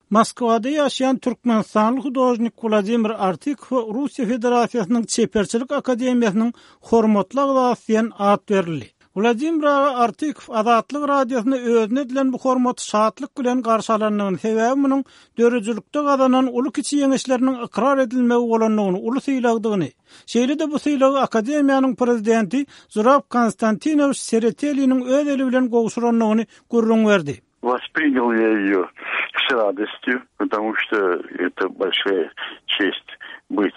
Moskwada ýaşaýan türkmenistanly hudožnik Wladimir Artykowa Russiýa Federasiýasynyň Çeperçilik akademiýasynyň hormatly agzasy diýen at berildi. Wladimir aga Artykow Azatlyk Radiosyna özüne edilen bu hormaty şatlyk bilen garşy alandygyny, sebäbi munuň döredijilikde gazanan uly-kiçi ýeňişleriniň ykrar edilmegi bolandygyny, uly sylagdygyny, şeýle-de bu sylagy akademiýanyň prezidenti Zurab Konstantinowiç Sereteliniň öz eli bilen gowşurandygyny gürrüň berdi. Воспринял я ее с радостью, потому что это большая честь быть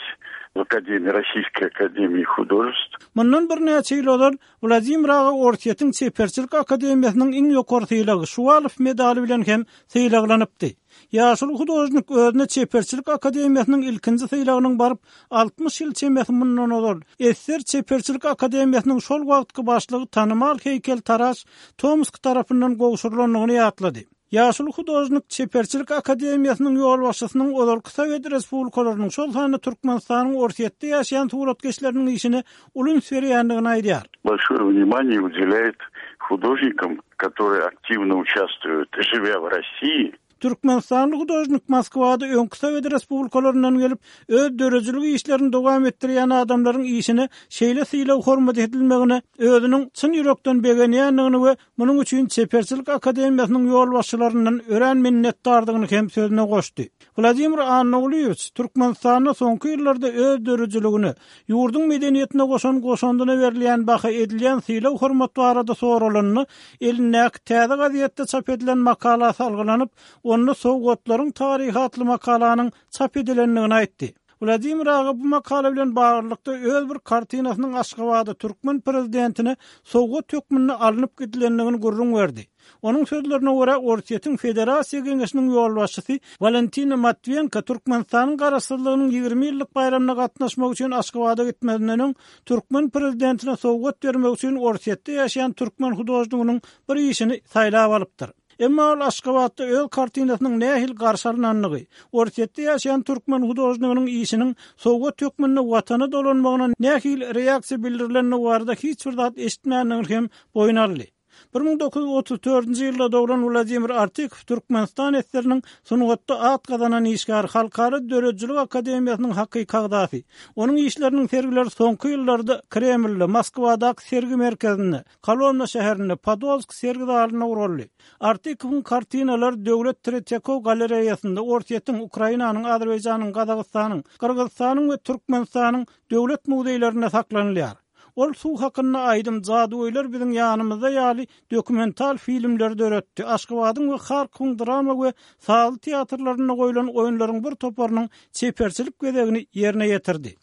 в Академии, Российской Академии Художеств. Mundan birnäçe ýyl ozal Wladimir aga Orsýetiň Çeperçilik akademiýasynyň iň ýokary sylagy, Şuwalow medaly bilen hem sylaglanypdy. Ýaşuly hudožnik özüne Çeperçilik akademiýasynyň ilkinji sylagynyň baryp 60 ýyl çemesi mundan ozal, Esser çeperçilik akademiýasynyň şol wagtky başlygy tanymal heýkeltaraş Tomsk tarapyndan gowşurylandygyny ýatlady. Ýaşuly hudožnik Çeperçilik akademiýasynyň ýolbaşçysynyň ozalky sowet respublikalarynyň, şol sanda Türkmenistanyň Orsýetde ýaşaýan suratkeşleriniň işine uly üns berýändigini aýdýar. Большое внимание уделяет художникам, которые активно участвуют, живя в России, Türkmenistanly hudožnik Moskwada öňki sowet respublikalaryndan gelip, öz döredijilik işlerini dowam etdirýän adamlaryň işine şeýle sylag-hormat edilmegine özüniň çyn ýürekden begenýändigini we munuň üçin Çeperçilik akademiýasynyň ýolbaşçylaryndan örän minnetdardygyny hem sözüne goşdy. Wladimir Annagulyýewiç Türkmenistanda soňky ýyllarda öz döredijiligine, ýurduň medeniýetine goşan goşandyna berilýän baha, edilýän sylag-hormat barada soralanda, elindäki täze gazetde çap edilen makala salgylanyp, onda Sowgatlaryň taryhy atly makalanyň çap edilendigini aýtdy. Wladimir aga bu makala bilen baglylykda öz bir kartinasynyň Aşgabada türkmen prezidentine sowgat hökmünde alnyp gidilendigini gürrüň berdi. Onuň sözlerine görä, Orsýetiň Federasiýa Geňeşiniň ýolbaşçysy Walentina Matwiýenko Türkmenistanyň Garaşsyzlygynyň 20 ýyllyk baýramyna gatnaşmak üçin Aşgabada gitmezinden öň, türkmen prezidentine sowgat bermek üçin Orsýetde ýaşaýan türkmen hudožniginiň bir işini saýlap alypdyr. Emma ol Aşgabatda öz kartinasynyň nähili garşy alnandygy, Orsýetde ýaşaýan türkmen hudožniginiň işiniň sowgat hökmünde Watana dolanmagyna nähili reaksiýa bildirilendigi barada hiç bir zat eşitmändigini hem boýun aldy. 1934-nji ýylda doglan Wladimir Artykow Türkmenistan SSR-niň sungatda at gazanan işgäri, Halkara döredijilik akademiýasynyň hakyky agzasy. Onuň işleriniň sergileri soňky ýyllarda Kremlde, Moskwadaky sergi merkezinde, Kolomna şäherinde, Podolsk sergi zalynda guraldy. Artykowyň kartinalary Döwlet Tretýakow galereýasynda, Orsýetiň, Ukrainanyň, Azerbaýjanyň, Gazagystanyň, Gyrgyzystanyň we Türkmenistanyň döwlet muzeýlerinde saklanylýar. Ol Suw hakynda aýdym, Jadygöýler biziň ýanymyzda ýaly dokumental filmleri döretdi, Aşgabadyň we Harkowyň drama we sazly teatrlarynda goýlan oýunlaryň bir toparynyň çeperçilik bezegini ýerine ýetirdi.